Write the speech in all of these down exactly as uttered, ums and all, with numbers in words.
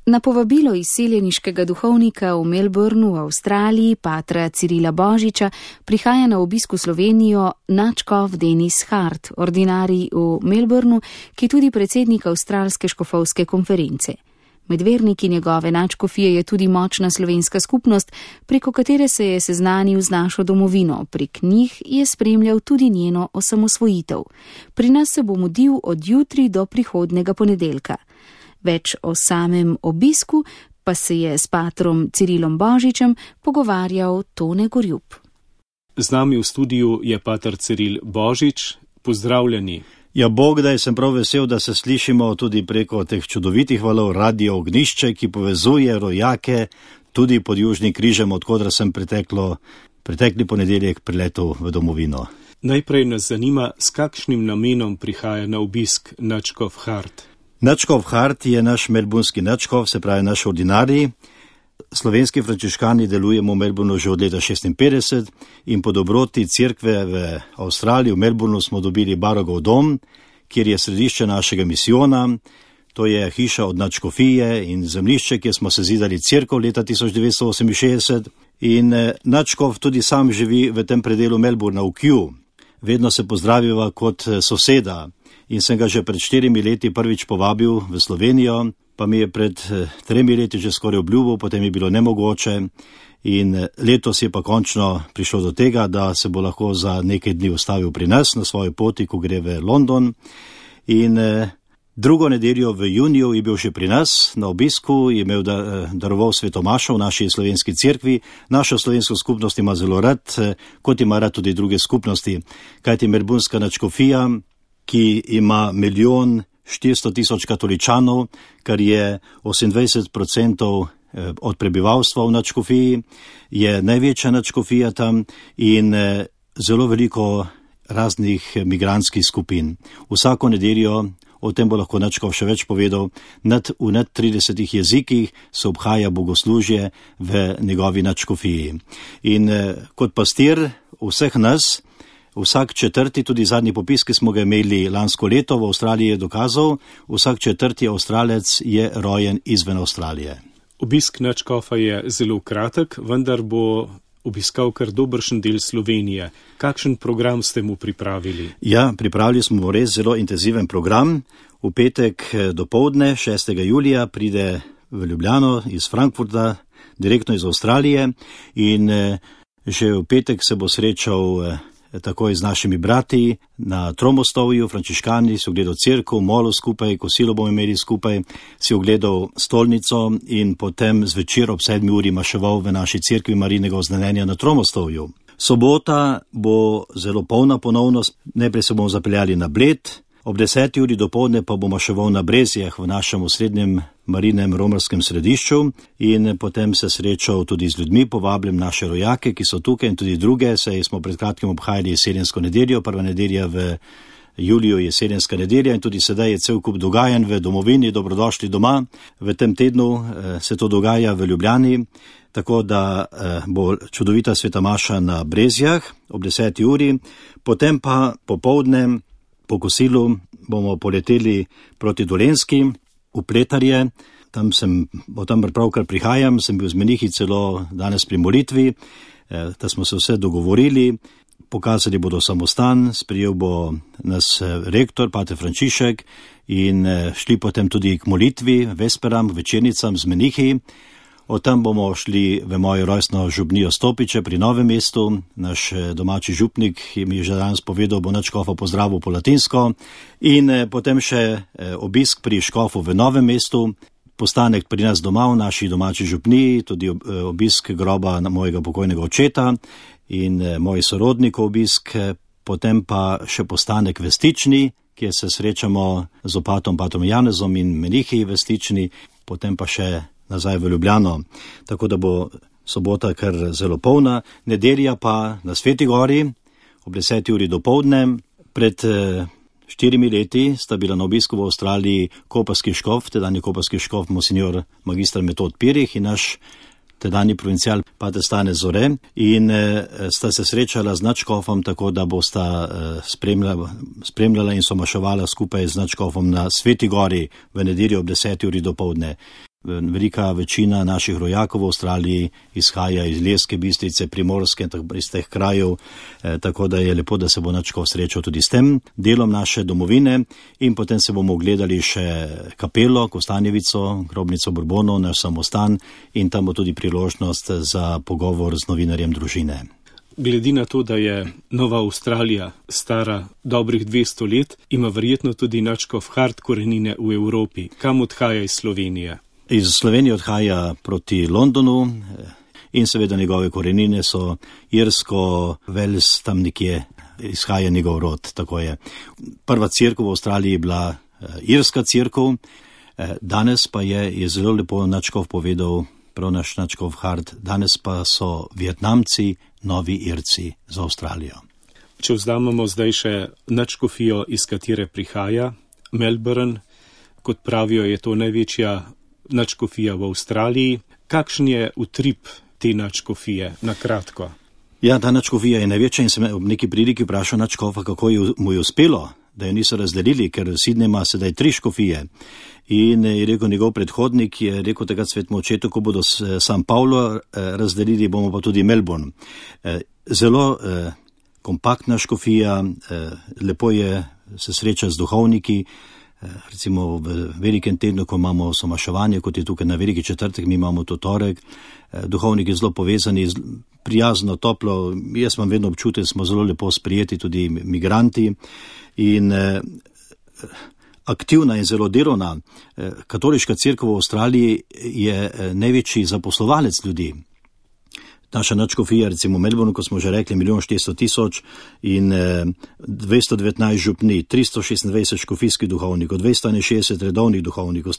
Na povabilo izseljeniškega duhovnika v Melbournu v Avstraliji, patra Cirila Božiča, prihaja na obisk v Slovenijo nadškof Denis Hart, ordinarij v Melbournu, ki je tudi predsednik Avstralske škofovske konference. Med verniki njegove nadškofije je tudi močna slovenska skupnost, preko katere se je seznanil z našo domovino. Prek njih je spremljal tudi njeno osamosvojitev. Pri nas se bo mudil od jutri do prihodnega ponedeljka. Več o samem obisku pa se je s patrom Cirilom Božičem pogovarjal Tone Gorjup. Z nami v studiu je pater Ciril Božič. Pozdravljeni. Ja, Bog, da sem prav vesel, da se slišimo tudi preko teh čudovitih valov Radio Ognišče, ki povezuje rojake tudi pod Južnim križem, odkodra sem preteklo, pretekli ponedeljek priletel v domovino. Najprej nas zanima, s kakšnim namenom prihaja na obisk nadškof Hart. Nadškof Hart je naš melbournski nadškof, se pravi naš ordinarij. Slovenski frančiškani delujemo v Melbournu že od leta šestinpetdeset in po dobroti cerkve v Avstraliji, v Melbournu smo dobili Barrogov dom, kjer je središče našega misijona. To je hiša od nadškofije in zemljišče, kjer smo se zidali cerkev leta tisoč devetsto oseminšestdeset. In nadškof tudi sam živi v tem predelu Melbourna, v Kew. Vedno se pozdraviva kot soseda in sem ga že pred štirimi leti prvič povabil v Slovenijo. Pa mi je pred tremi leti že skoraj obljubil, potem je bilo nemogoče in letos je pa končno prišlo do tega, da se bo lahko za nekaj dni ustavil pri nas na svoji poti, ko gre v London. In drugo nedeljo v juniju je bil še pri nas na obisku, je imel daroval svetomašo v naši slovenski cerkvi. Našo slovensko skupnost ima zelo rad, kot ima rad tudi druge skupnosti, kajti melbournska nadškofija, ki ima milijon štiristo tisoč katoličanov, kar je osemindvajset odstotkov od prebivalstva v nadškofiji, je največja nadškofija tam in zelo veliko raznih migrantskih skupin. Vsako nedeljo, o tem bo lahko nadškof še več povedal, nad, v nad tridesetih jezikih se obhaja bogoslužje v njegovi nadškofiji. In kot pastir vseh nas, vsak četrti, tudi zadnji popis, ki smo ga imeli lansko leto v Avstraliji, je dokazal, vsak četrti Avstralec je rojen izven Avstralije. Obisk nadškofa je zelo kratek, vendar bo obiskal kar dobršen del Slovenije. Kakšen program ste mu pripravili? Ja, pripravili smo res zelo intenziven program. V petek dopoldne, šestega julija, pride v Ljubljano iz Frankfurta, direktno iz Avstralije in že v petek se bo srečal takoj z našimi brati na Tromostovju, frančiškani, si ogledal cerkev, molil skupaj, kosilo bomo imeli skupaj, si ogledal stolnico in potem zvečer ob sedmi uri maševal v naši cerkvi Marijinega oznanjenja na Tromostovju. Sobota bo zelo polna ponovnost, najprej se bomo zapeljali na Bled, ob deseti uri dopoldne pa bomo maševal na Brezjah v našem osrednjem Marijinem romarskem središču in potem se srečal tudi z ljudmi, povabljem naše rojake, ki so tukaj in tudi druge, saj smo pred kratkim obhajali jesensko nedeljo, prva nedelja v juliju jesenska nedelja in tudi sedaj je cel kup dogajanj v domovini, dobrodošli doma. V tem tednu se to dogaja v Ljubljani, tako da bo čudovita sveta maša na Brezjah ob deseti uri, potem pa popoldne po kosilu bomo poleteli proti Dolenjski, v Pletarje, tam sem, o tam pravkar prihajam, sem bil z menihi celo danes pri molitvi, da smo se vse dogovorili, pokazali bodo samostan, sprijel bo nas rektor, pater Frančišek in šli potem tudi k molitvi, vesperam, večernicam z menihi. Od tam bomo šli v mojo rojstno župnijo Stopiče pri Novem mestu. Naš domači župnik mi je že danes povedal, bo nadškofa pozdravil po latinsko. In potem še obisk pri škofu v Novem mestu, postanek pri nas doma v naši domači župniji, tudi obisk groba mojega pokojnega očeta in mojih sorodnikov obisk, potem pa še postanek v Stični, kjer se srečamo z opatom patrom Janezom in menihi v Stični, potem pa še nazaj v Ljubljano, tako da bo sobota kar zelo polna, nedelja pa na Sveti gori ob deseti uri dopoldne. Pred štirimi leti sta bila na obisku v Avstraliji koparski škof, tedajni koparski škof monsignor magistr Metod Pirih in naš tedajni provincial pater Stane Zore in sta se srečala z nadškofom, tako da bosta spremljala, spremljala in somaševala skupaj z nadškofom na Sveti gori v nedeljo ob deseti uri dopoldne. Velika večina naših rojakov v Avstraliji izhaja iz Ilirske Bistrice, Primorske, iz teh krajev, eh, tako da je lepo, da se bo Načkov srečal tudi s tem delom naše domovine in potem se bomo ogledali še kapelo, Kostanjevico, grobnico Bourbonov, naš samostan in tam bo tudi priložnost za pogovor z novinarjem družine. Glede na to, da je Nova Avstralija stara dobrih dvesto let, ima verjetno tudi Načkov Hart korenine v Evropi. Kam odhaja iz Slovenije? Iz Slovenije odhaja proti Londonu in seveda njegove korenine so Irsko, Wales, tam nekje izhaja njegov rod, tako je. Prva cerkev v Avstraliji je bila irska cerkev, danes pa je, je zelo lepo Načkov povedal, prav naš Načkov Hart, danes pa so Vietnamci novi Irci za Avstralijo. Če vzamemo zdaj še nadškofijo, iz katere prihaja, Melbourne, kot pravijo, je to največja nadškofija v Avstraliji. Kakšen je utrip te nadškofije, na kratko? Ja, ta nadškofija je največja in sem ob neki priliki vprašal nadškofa, kako je, mu je uspelo, da jo niso razdelili, ker Sydney ima sedaj tri škofije. In je rekel njegov predhodnik, je rekel takrat svetemu očetu, ko bodo San Paulo razdelili, bomo pa tudi Melbourne. Zelo eh, kompaktna škofija, eh, lepo je se srečati z duhovniki, eh, recimo v velikem tednu, ko imamo somaševanje, kot je tukaj na veliki četrtek, mi imamo to torek, eh, duhovniki zelo povezani, prijazno, toplo, jaz imam vedno občutek, smo zelo lepo sprijeti, tudi migranti in eh, aktivna in zelo delovna. Katoliška cerkev v Avstraliji je največji zaposlovalec ljudi. Naša nadškofija, recimo v Melbournu, ko smo že rekli, milijon štiristo tisoč in dvesto devetnajst župni, tristo šestindvajset škofijskih duhovnikov, dvesto enainšestdeset redovnih duhovnikov,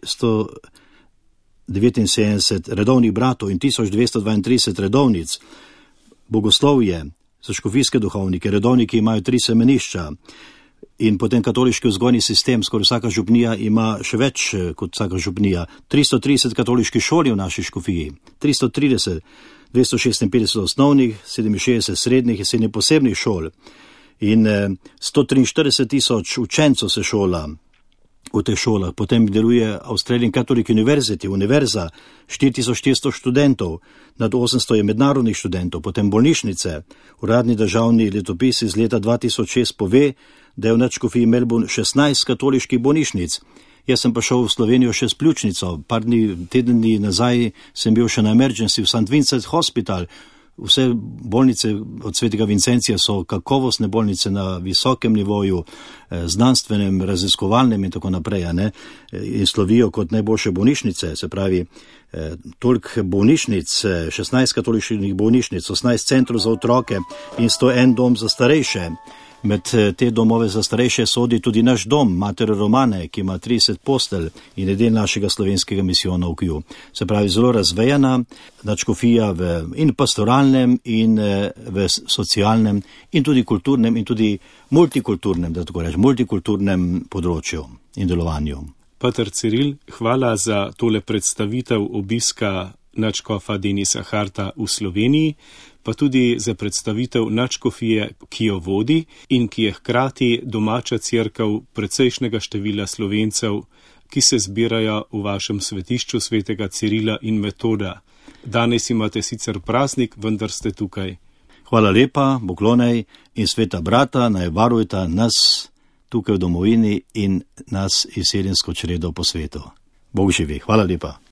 sto devetinsedemdeset redovnih bratov in tisoč dvesto dvaintrideset redovnic. Bogoslovje za škofijske duhovnike, redovniki imajo tri semenišča. In potem katoliški vzgojni sistem, skoraj vsaka župnija ima še več kot vsaka župnija. tristo trideset katoliških šol je v naši škofiji, tristo trideset, dvesto šestinpetdeset osnovnih, sedeminšestdeset srednjih in sedem posebnih šol. In sto triinštirideset tisoč učencev se šola v teh šolah. Potem deluje Australian Catholic University, univerza, štiri tisoč štiristo študentov, nad osemsto je mednarodnih študentov, potem bolnišnice. Uradni državni letopis iz leta dva tisoč šest pove, da je v nadškofiji Melbourne šestnajst katoliških bolnišnic. Jaz sem pa šel v Slovenijo še s pljučnico. Par dni, teden dni nazaj sem bil še na emergency v Saint Vincent Hospital. Vse bolnice od svetega Vincencija so kakovostne bolnice na visokem nivoju, znanstvenem, raziskovalnem in tako naprej, ne? In slovijo kot najboljše bolnišnice, se pravi, toliko bolnišnic, šestnajst katoliških bolnišnic, osemnajst centrov za otroke in sto en dom za starejše. Med te domove za starejše sodi tudi naš dom, Mater Romane, ki ima trideset postelj in je del našega slovenskega misijona v Kju. Se pravi, zelo razvejana nadškofija v in pastoralnem in v socialnem in tudi kulturnem in tudi multikulturnem, da tako rečem, multikulturnem področju in delovanju. Pater Ciril, hvala za tole predstavitev obiska nadškofa Denisa Harta v Sloveniji, pa tudi za predstavitev nadškofije, ki jo vodi in ki je hkrati domača cerkev precejšnjega števila Slovencev, ki se zbirajo v vašem svetišču svetega Cirila in Metoda. Danes imate sicer praznik, vendar ste tukaj. Hvala lepa, poklonej in sveta brata naj varujta nas tukaj v domovini in nas izseljensko čredo po svetu. Bog živi. Hvala lepa.